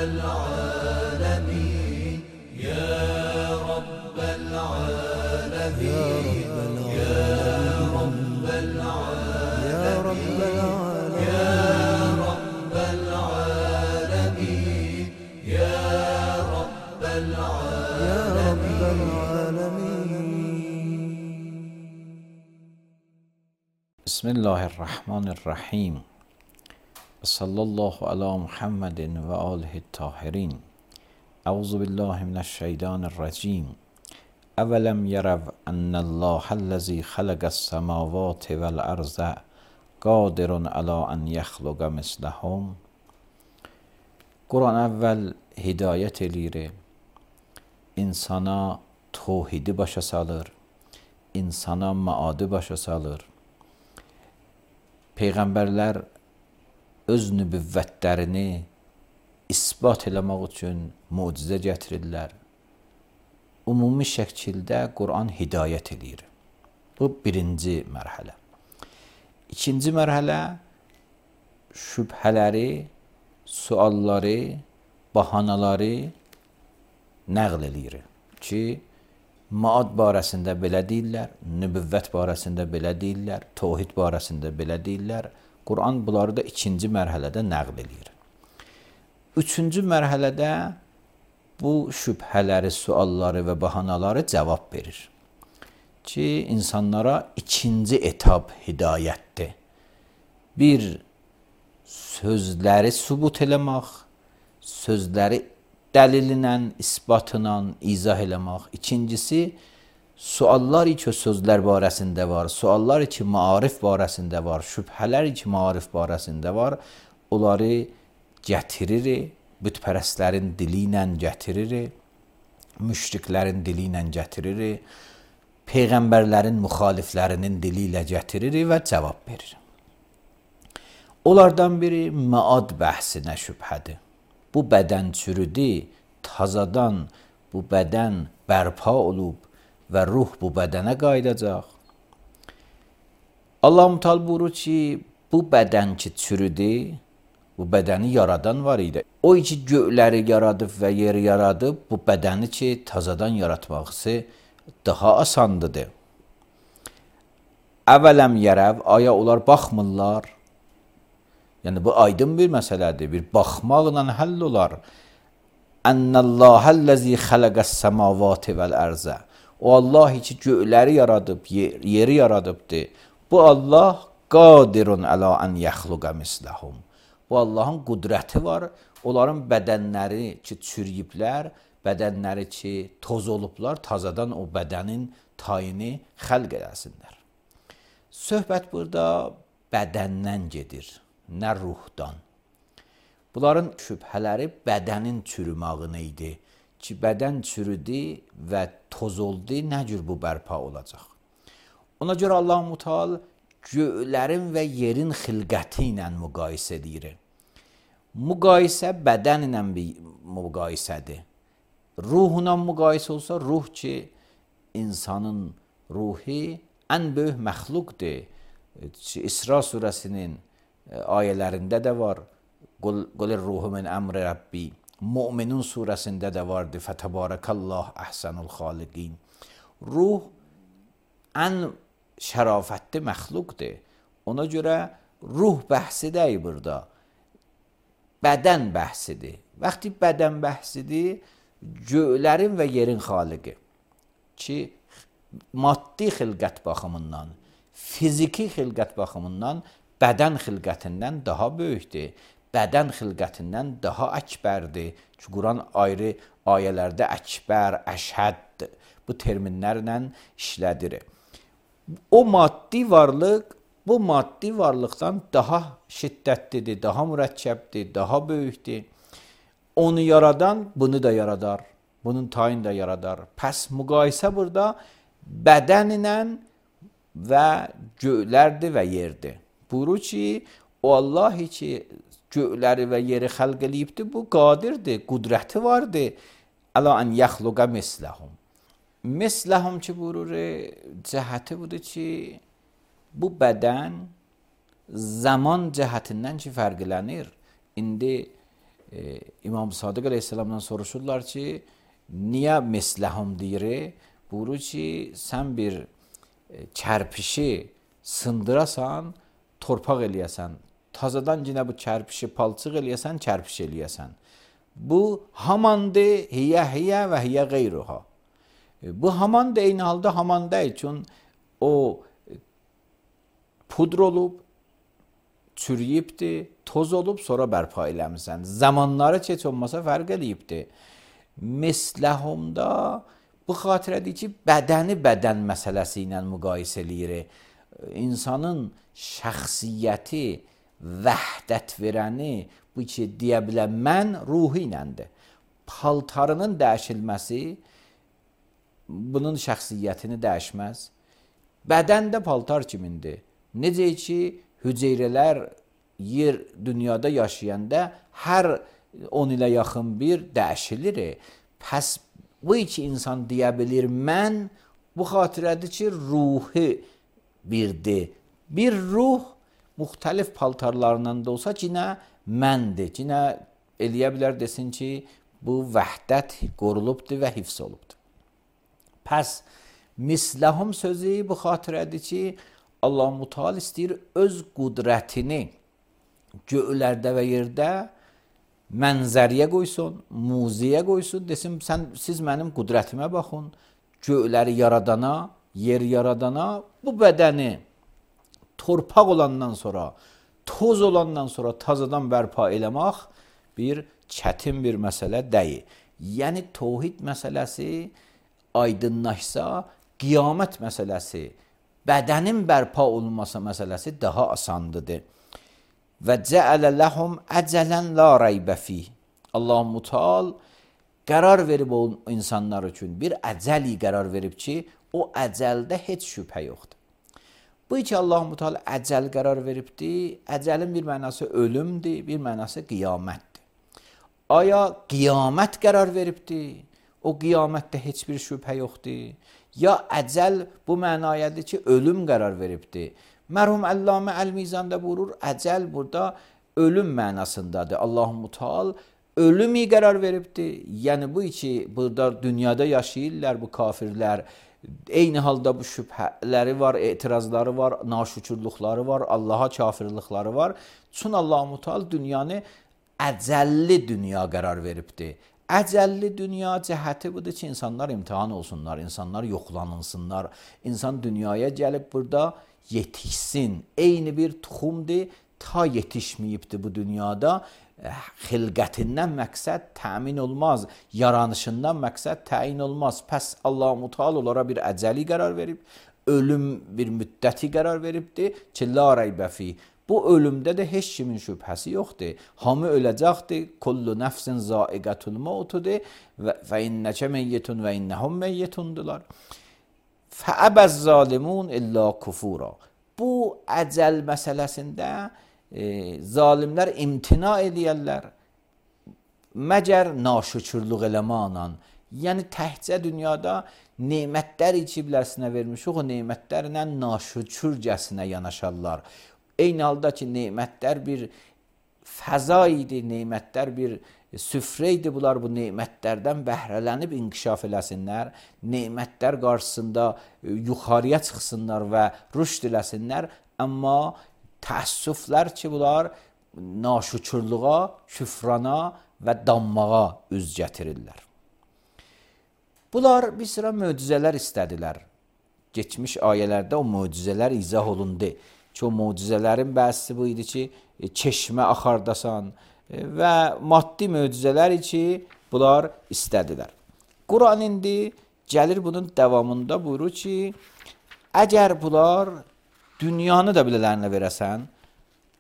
العالمين يا رب العالمين يا رب العالمين يا رب العالمين يا رب العالمين. بسم الله الرحمن الرحیم. صلی الله علی محمد و آله الطاهرین. اعوذ بالله من الشیطان الرجیم. اولم یروا ان الله الذی خلق السماوات والارض قادر علی ان یخلق مثلهم. Quran əvvəl hidayət eləyir, insana tövhidi başa salır, insana maadı başa salır. Peyğəmbərlər öz nübüvvətlərini isbat eləmək üçün möcüzə gətirirlər. Ümumi şəkildə Quran hidayət eləyir. Bu birinci mərhələ. İkinci mərhələ şübhələri, sualları, bahanaları nəql eləyir ki, maad barəsində belə deyirlər, nübüvvət barəsində belə deyirlər, tövhid barəsində belə deyirlər. Quran bunları da ikinci mərhələdə nəql eləyir. Üçüncü mərhələdə bu şübhələri, sualları və bahanaları cavab verir ki, insanlara ikinci etap hidayətdir. Bir, sözləri sübut eləmək, sözləri dəlillə, isbatla izah eləmək. İkincisi, suallar ki sözlər barəsində var, suallar ki maarif barəsində var, şübhələr ki maarif barəsində var, onları gətirir, bütpərəstlərin dili ilə gətirir, müşriklərin dili ilə gətirir, peyğəmbərlərin müxaliflərinin dili ilə gətirir və cavab verir. Onlardan biri maad bəhsinə şübhədir. Bu bədən çürüdü, tazadan bu bədən bərpa olub və ruh bu bədənə qayıdacaq. Allah-u Teala buyurur ki, bu bədən ki çürüdü, bu bədəni yaradan var idi. O ki göyləri yaradıb və yeri yaradıb, bu bədəni ki tazadan yaratması daha asandıdır. Əvələm yərəv, aya onlar baxmırlar. Yəni bu aydın bir məsələdir, bir baxmaqla həll olar. Ennallahəl-ləzi xələqəs-səmavati vəl-ərzə. O Allah ki göyləri yaradıb, yeri yaradıbdır. Bu Allah qadirun əla ən yəxluqə misləhum. Bu Allahın qüdrəti var. Onların bədənləri ki çürüyüblər, bədənləri ki toz olublar, tazadan o bədənin tayini xəlq eləsinlər. Söhbət burada bədəndən gedir, nə ruhdan. Bunların şübhələri bədənin çürümağını idi ki, bədən çürüdü və toz oldu, nə cür bu bərpa olacaq? Ona görə Allah-u Teala göylərin və yerin xilqəti ilə müqayisə edir. Müqayisə bədən ilə bir müqayisədir. Ruhuna müqayisə olsa, ruh ki, insanın ruhi ən böyük məxluqdur. İsra surəsinin ayələrində də var. Qulir ruhu min əmri Rabbi. Müminun surəsində də vardır. Fətəbarəkallah əhsənul xaliqin. Ruh ən şərafətli məxluqdur. Ona görə ruh bəhsi deyil burada. Bədən bəhsidir. Vaxtı bədən bəhsidir, göylərin və yerin xaliqi ki, maddi xilqət baxımından, fiziki xilqət baxımından bədən xilqətindən daha böyükdür. Bədən xilqətindən daha əkbərdir. Ki, Quran ayrı ayələrdə əkbər, əşhəd bu terminlərlə işlədir. O maddi varlıq, bu maddi varlıqdan daha şiddətlidir, daha mürəkkəbdir, daha böyükdür. Onu yaradan bunu da yaradar, bunun tayini də yaradar. Pəs müqayisə burada bədən ilə və göylərdir və yerdir. Buyurur ki, o Allah ki göyləri və yeri xəlq eləyibdir, bu qadirdir, qüdrəti vardır. Əla ən yəxluqə misləhum. Misləhum ki buyurur, cəhəti budur ki, bu bədən zaman cəhətindən ki fərqlənir. İndi İmam Sadiq əleyhissalamdan soruşurlar ki, niyə misləhum deyir? Buyurur ki, sən bir kərpişi sındırasan, torpaq eləyəsən, tazadan yenə bu kərpişi palçıq eləyəsən, kərpiş eləyəsən. Bu hamandır, hiyə və hiyə qeyruha. Bu haman da eyni halda haman deyil. Çünki o pudr olub, çürüyübdir, toz olub, sonra bərpa eləmirsən. Zamanları heç olmasa fərq eləyibdir. Misləhumda bu xatirədir ki, bədəni bədən məsələsi ilə müqayisə eləyir. İnsanın şəxsiyyəti, vəhdət verəni bu ki, deyə bilən mən ruhu iləndir. Paltarının dəyişilməsi bunun şəxsiyyətini dəyişməz. Bədən də paltar kimindir. Necə ki, hüceyrələr yer dünyada yaşayanda hər 10 ilə yaxın bir dəyişilir. Pəs bu iki insan deyə bilir, mən bu xatirədir ki, ruhu birdir. Bir ruh müxtəlif paltarlarından da olsa yenə məndir. Yenə eləyə bilər desin ki, bu vəhdət qorulubdur və hifz olubdur. Pəs misləhum sözü bu xatirədir ki, Allah-u Teala istəyir öz qudrətini göylərdə və yerdə mənzəriyə qoysun, muziyə qoysun, desin, siz mənim qudrətimə baxın, göyləri yaradana, yer yaradana, bu bədəni torpaq olandan sonra, toz olandan sonra tazadan bərpa eləmək bir çətin bir məsələ deyil. Yəni, tövhid məsələsi aydınlaşsa, qiyamət məsələsi, bədənin bərpa olunması məsələsi daha asandıdır. Və cəələ ləhum əcələn la reybə fih. Allah-u Teala qərar verib o insanlar üçün bir əcəli qərar verib ki, o əcəldə heç şübhə yoxdur. Bu ki, Allah-u Teala əcəl qərar veribdir, əcəlin bir mənası ölümdür, bir mənası qiyamətdir. Aya qiyamət qərar veribdir, o qiyamətdə heç bir şübhə yoxdur. Ya əcəl bu mənayədir ki, ölüm qərar veribdir. Mərhum Əllamə Əl-Mizanda buyurur, əcəl burada ölüm mənasındadır. Allah-u Teala ölümü qərar veribdir. Yəni bu ki, burada dünyada yaşayırlar bu kafirlər. Eyni halda bu şübhələri var, etirazları var, naşükürlükləri var, Allaha kafirlikləri var. Çünki Allah-u Teala dünyanı əcəlli dünya qərar veribdir. Əcəlli dünya cəhəti budur ki, insanlar imtihan olsunlar, insanlar yoxlanınsınlar. İnsan dünyaya gəlib burada yetişsin. Eyni bir tuxumdur, ta yetişməyibdir bu dünyada. Xilqətindən məqsəd təmin olmaz, yaranışından məqsəd təyin olmaz. Pəs Allah-u Teala onlara bir əcəli qərar verib, ölüm bir müddəti qərar veribdir ki, la reybə fih. Bu ölümdə də heç kimin şübhəsi yoxdur. Hamı öləcəkdir. Kullu nəfsin zaiqətul mautudur və innəkə meyyitun və innəhum meyyitundular. Fəəbəz zalimun illə kufura. Bu əcəl məsələsində zalimlər imtina eləyərlər. Məgər naşükürlük eləməklə. Yəni təhcə dünyada nemətlər içiblərsinə vermişik, o nemətlərlə naşükürcəsinə yanaşarlar. Eyni halda ki, nemətlər bir fəza idi, nemətlər bir süfrə idi. Bunlar bu nemətlərdən bəhrələnib inkişaf eləsinlər, nemətlər qarşısında yuxarıya çıxsınlar və rüşd eləsinlər. Amma təəssüflər ki, bunlar naşükürlüğa, küfrana və danmağa üz gətirirlər. Bunlar bir sıra möcüzələr istədilər. Geçmiş ayələrdə o möcüzələr izah olundu. Çox möcüzələrin bəzisi bu idi ki, çeşmə axardasan və maddi möcüzələr ki, bunlar istədilər. Quran indi gəlir bunun davamında buyurur ki, əgər bunlar dünyanı da bilələrlə verəsən,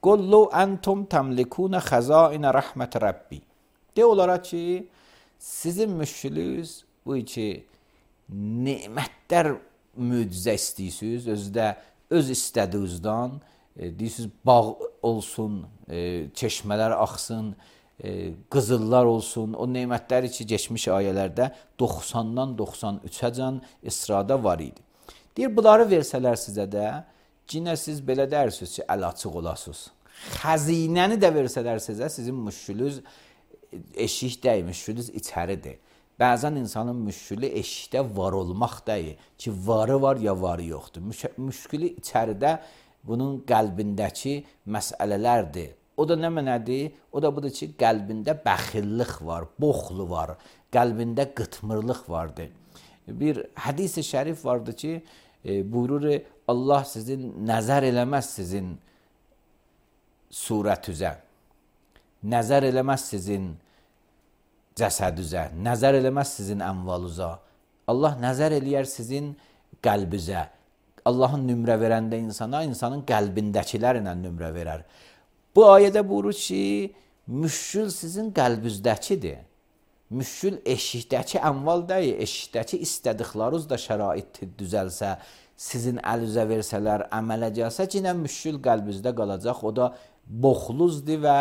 qullu entum təmlikunə xəzainə rəhmət Rəbbi. De onlara ki, sizin müşkülünüz bu ki, nemətlər möcüzə istəyirsiniz, özdə öz istədiyinizdən, deyirsiniz, bağ olsun, çeşmələr axsın, qızıllar olsun, o nemətləri ki, geçmiş ayələrdə 90-dan 93-əcən İsrada var idi. Deyir, bunları versələr sizə də, yenə siz belə dərsiniz ki, əl açıq olasınız. Xəzinəni də versələr sizə, sizin müşkülünüz eşik deyil, müşkülünüz içəridir. Bəzən insanın müşkülü eşikdə var olmaq deyil ki, varı var ya varı yoxdur. Müşkülü içəridə bunun qəlbindəki məsələlərdir. O da nə mənədir? O da budur ki, qəlbində bəxillik var, boxlu var, qəlbində qıtmırlıq vardır. Bir hədis-i şərif vardır ki, buyurur, Allah sizin nəzər eləməz sizin surətüzə, nəzər eləməz sizin cəsədüzə, nəzər eləməz sizin əmvaluza. Allah nəzər eləyər sizin qəlbizə. Allahın nümrə verəndə insana, insanın qəlbindəkilərlə nümrə verər. Bu ayədə buyurur ki, müşkül sizin qəlbizdəkidir. Müşkül eşikdəki əmval deyil, eşikdəki istədikləriniz də şərait düzəlsə, sizin əlüzə versələr, əmələ gəlsə, yenə müşkül qəlbinizdə qalacaq. O da boxluzdur və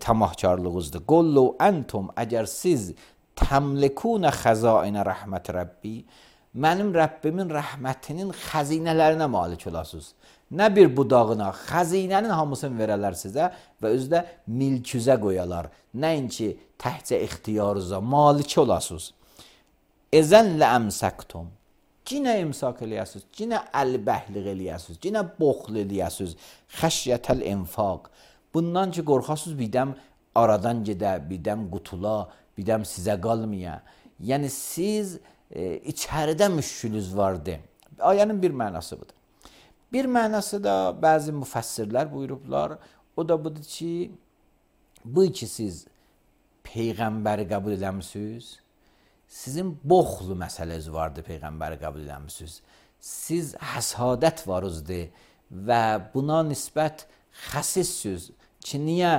tamahkarlığınızdır. Qullu entum, əgər siz təmlikunə xəzainə rəhmət Rəbbi, mənim Rəbbimin rəhmətinin xəzinələrinə malik olasınız. Nə bir budağına, xəzinənin hamısını verələr sizə və özdə milküzə qoyalar. Nəinki təhcə ixtiyarınıza malik olasınız. Əzən lə əmsəktum. Cinə imsak eləyəsiniz, cinə əlbəhliq eləyəsiniz, cinə boxl eləyəsiniz, xəşyətəl infaq. Bundan ki, qorxasınız birdən aradan gedə, birdən qutula, birdən sizə qalmaya. Yəni, siz içəridə müşkülünüz vardır. Ayənin bir mənası budur. Bir mənası da bəzi müfəssirlər buyurublar, o da budur ki, bu ki siz Peyğəmbəri qəbul eləmişsiniz, sizin boxlu məsələniz vardır, Peyğəmbəri qəbul eləmişsiniz. Siz həsadət varızdır və buna nisbət xəsissiniz ki, niyə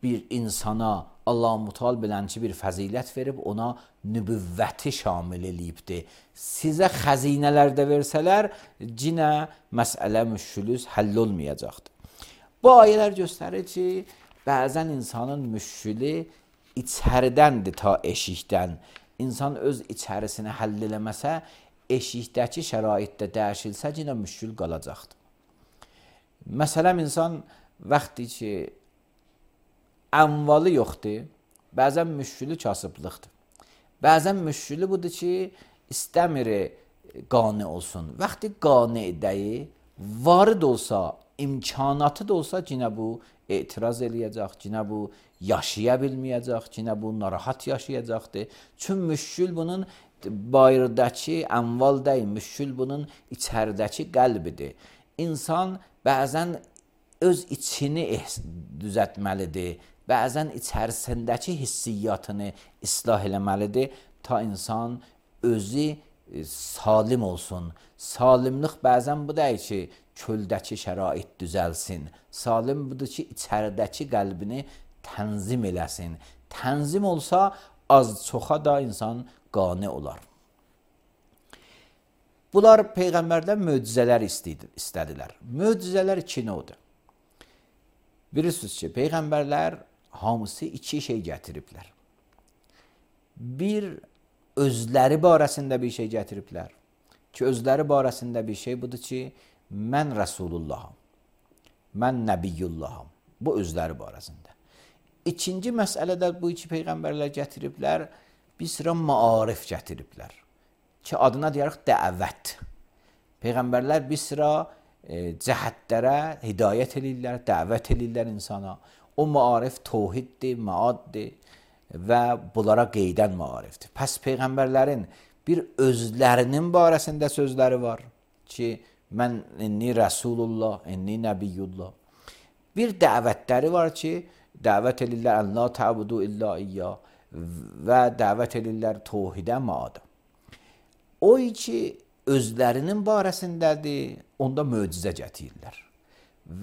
bir insana Allah-u Mutal bilənçi bir fəzilət verib, ona nübüvvəti şamil eləyibdir. Sizə xəzinələr də versələr, cinə məsələ müşkülüz həll olmayacaqdır. Bu ayələr göstərir ki, bəzən insanın müşkülü içəridəndir ta eşikdən. İnsan öz içərisini həll eləməsə, eşikdəki şəraitdə dəyişilsə, yenə müşkül qalacaqdır. Məsələn, insan vaxtı ki, əmvalı yoxdur, bəzən müşkülü kasıblıqdır. Bəzən müşkülü budur ki, istəmir qani olsun. Vaxtı qani deyil, varı da olsa, imkanatı da olsa, yenə bu etiraz eləyəcək, yenə bu yaşaya bilməyəcək, yenə bu narahat yaşayacaqdır. Çünki müşkül bunun bayırdakı əmval deyil, müşkül bunun içəridəki qəlbidir. İnsan bəzən öz içini düzəltməlidir, bəzən içərisindəki hissiyyatını islah eləməlidir, ta insan özü salim olsun. Salimlik bəzən bu deyil ki, köldəki şərait düzəlsin. Salim budur ki, içəridəki qəlbini tənzim eləsin. Tənzim olsa, az-çoxa da insan qani olar. Bunlar Peyğəmbərdən möcüzələr istədilər. Möcüzələr iki növdür. Bilirsiniz ki, Peyğəmbərlər hamısı iki şey gətiriblər. Bir, özləri barəsində bir şey gətiriblər. Ki, özləri barəsində bir şey budur ki, mən Rəsulullaham, mən Nəbiyyullaham. Bu, özləri barəsində. İkinci məsələdə bu iki Peyğəmbərlər gətiriblər, bir sıra maarif gətiriblər. Ki, adına deyərək dəvət. Peyğəmbərlər bir sıra cəhətlərə hidayət edirlər, dəvət edirlər insana. O maarif tövhiddir, maaddir və bunlara qeydən maarifdir. Pəs Peyğəmbərlərin bir özlərinin barəsində sözləri var ki, mən inni Rəsulullah, inni Nəbiyyullah. Bir dəvətləri var ki, dəvət edirlər ən la təbudu illa iyyah və dəvət edirlər tövhidə, maada. O ki, özlərinin barəsindədir, onda möcüzə gətirirlər.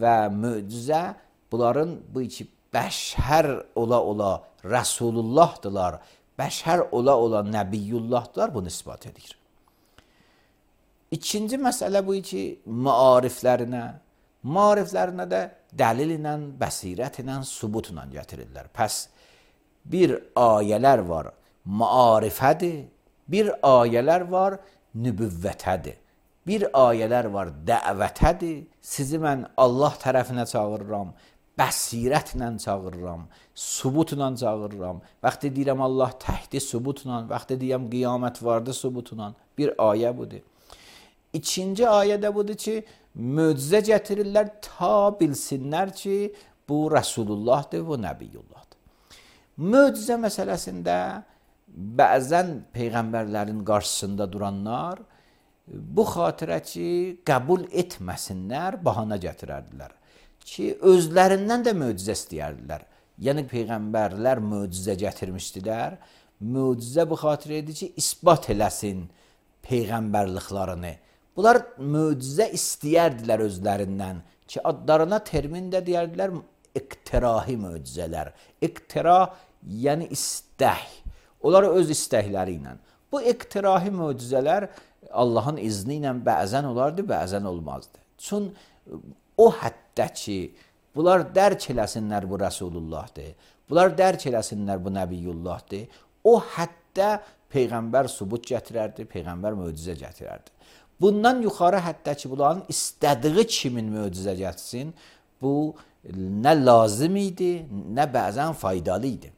Və möcüzə bunların bu iki bəşər ola Rəsulullahdılar, bəşər ola Nəbiyyullahdılar, bunu ispat edir. İkinci məsələ bu ki, maariflərinə də dəlil ilə, bəsirət ilə, subut ilə gətirirlər. Pəs bir ayələr var, maarifədir, bir ayələr var, nübüvvətədir. Bir ayələr var, dəvətədir, sizi mən Allah tərəfinə çağırıram. bəsirətlə çağırıram, sübutla çağırıram. Vaxtı deyirəm Allah təhdi sübutla, vaxtı deyirəm qiyamət vardı sübutla. Bir ayə budur. İkinci ayə də budur ki, möcüzə gətirirlər ta bilsinlər ki, bu Rəsulullahdır, bu Nəbiyyullahdır. Möcüzə məsələsində bəzən peyğəmbərlərin qarşısında duranlar bu xatirə ki, qəbul etməsinlər, bahana gətirərdilər ki, özlərindən də möcüzə istəyərdilər. Yəni peyğəmbərlər möcüzə gətirmişdilər. Möcüzə bu xatirə idi ki, isbat eləsin peyğəmbərliklərini. Bunlar möcüzə istəyərdilər özlərindən ki, adlarına termin də deyərdilər iqtirahi möcüzələr. İqtira yəni istək. Onlar öz istəkləri ilə. Bu iqtirahi möcüzələr Allahın izni ilə bəzən olardı, bəzən olmazdı. Çün o həddə ki, bunlar dərk eləsinlər bu Rəsulullahdır, bunlar dərk eləsinlər bu Nəbiyyullahdır, o həddə Peyğəmbər sübut gətirərdi, Peyğəmbər möcüzə gətirərdi. Bundan yuxarı həddə ki, bunların istədiyi kimin möcüzə gətirsin, bu nə lazım idi, nə bəzən faydalı idi.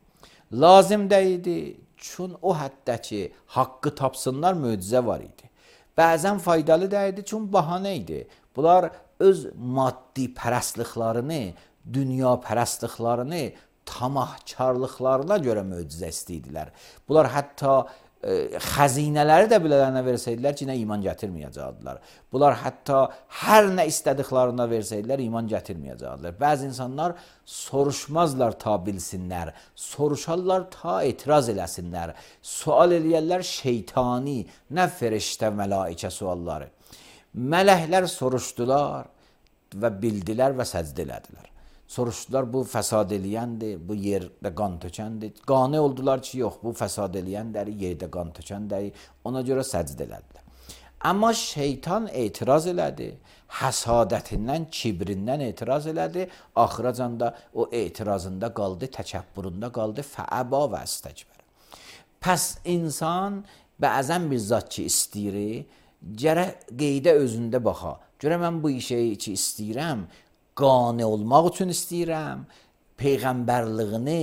Lazım da idi, çün o həddə ki, haqqı tapsınlar möcüzə var idi. Bəzən faydalı da idi, çün bahanə idi. Bunlar öz maddi pərəstliklərini, dünya pərəstliklərini, tamahkarlıqlarına görə möcüzə istəyirdilər. Bunlar hətta xəzinələri də bilələrine versəydilər ki, nə iman gətirməyəcəkdilər. Bunlar hətta hər nə istədiklərine versəydilər, iman gətirməyəcəkdilər. Bəzi insanlar soruşmazlar ta bilsinlər, soruşarlar ta etiraz eləsinlər, sual eləyərlər şeytani, nə feriştə mələikə sualları. Mələklər soruşdular və bildilər və səcdə elədilər. Soruşdular, bu fəsad eləyəndir, bu yerdə qan tökəndir. Qane oldular ki, yox, bu fəsad eləyəndir, yerdə qan tökəndir. Ona görə səcdə elədilər. Amma şeytan etiraz elədi, həsadətindən, kibrindən etiraz elədi. Axıracan da o etirazında qaldı, təkəbbüründə qaldı, fəəba və əstəkbər. Pəs insan bəzən bir zat ki istəyir, gərək qeydə özündə baxa. Görə mən bu işi ki istəyirəm, qane olmaq üçün istəyirəm, peyğəmbərliyini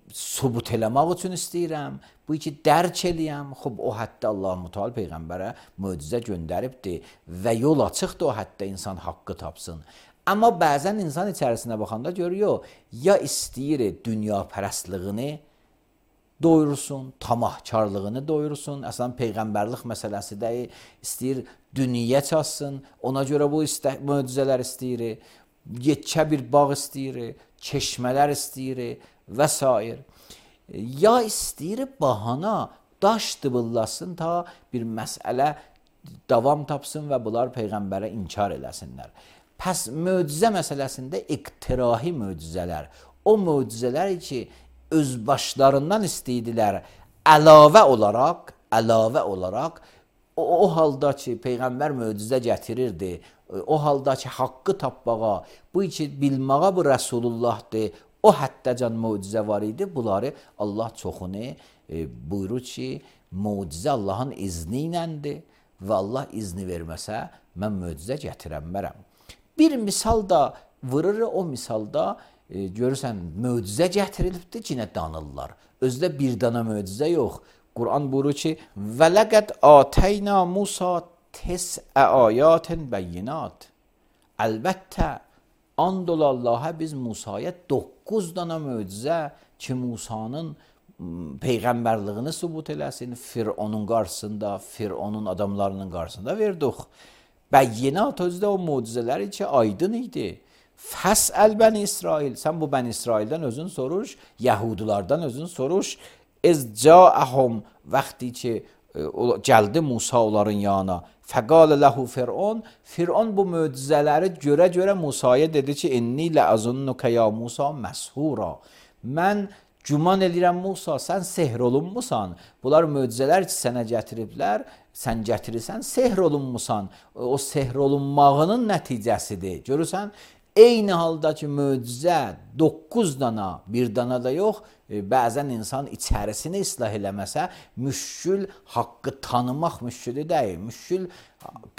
sübut eləmək üçün istəyirəm, bu iki dərk eləyəm. Xub, o həddə Allah-u Teala peyğəmbərə möcüzə göndəribdir və yol açıqdır o həddə insan haqqı tapsın. Amma bəzən insan içərisinə baxanda görüyor, ya istəyir dünya pərəstliyini doyursun, tamahkarlığını doyursun. Əslən peyğəmbərlik məsələsi də istəyir dünya çatsın, ona görə bu möcüzələr istəyir. Yekə bir bağ istəyir, çeşmələr istəyir və s. Ya istəyir bahana, daş dıbıllasın ta bir məsələ davam tapsın və bunlar peyğəmbərə inkar eləsinlər. Pəs möcüzə məsələsində iqtirahi möcüzələr, o möcüzələr ki öz başlarından istəydilər, əlavə olaraq o halda ki peyğəmbər möcüzə gətirirdi, o halda ki haqqı tapmağa, bu ki bilməyə bu Rəsulullahdır, o həddəcan möcüzə var idi. Bunları Allah çoxunu buyurur ki, möcüzə Allahın izni iləndir və Allah izni verməsə, mən möcüzə gətirənmərəm. Bir misal da vurur, o misalda görürsən, möcüzə gətirilibdir, yenə danırlar. Özdə bir dana möcüzə yox. Quran buyurur ki, وَلَقَدْ آتَيْنَا مُوسَى تِسْعَ آيَاتٍ بَيِّنَاتٍ. Əlbəttə, and ola Allah'a biz Musaya 9 dana möcüzə ki, Musanın peyğəmbərliyini sübut eləsin, Fironun qarşısında, Fironun adamlarının qarşısında verdik. Bəyyinat özdə o möcüzələri ki, aydın idi. Fəsəl bəni İsrail, sən bu bəni İsraildən özün soruş, Yahudilərdən özün soruş. İzca'əhum, vaxtı ki gəldi Musa onların yanına, fəqalə ləhu Firon, Firon bu möcüzələri görə Musaya dedi ki, inni ləəzunnuka ya Musa məshura. Mən güman edirəm Musa, sən sehr olunmusan, bunlar möcüzələr ki sənə gətiriblər, sən gətirirsən, sehr olunmusan, o sehr olunmağının nəticəsidir. Görürsən, Eyni halda ki möcüzə 9 dana, bir dana da yox, bəzən insan içərisini islah eləməsə, müşkül haqqı tanımaq müşkülü deyil, müşkül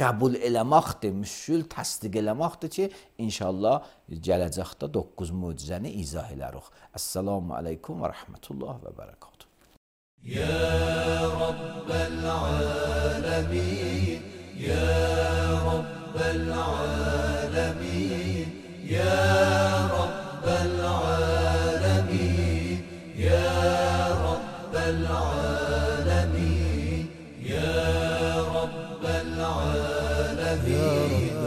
qəbul eləməkdir, müşkül təsdiq eləməkdir ki, inşallah gələcəkdə 9 möcüzəni izah elərik. Əssalamu aleykum və rəhmətullah və bərəkatuhu. Ya Rabbel alemin, Ya Rabbel alemin, Ya Rabbel alemin, Ya Rabbel alemin, Ya Rabbel alemin.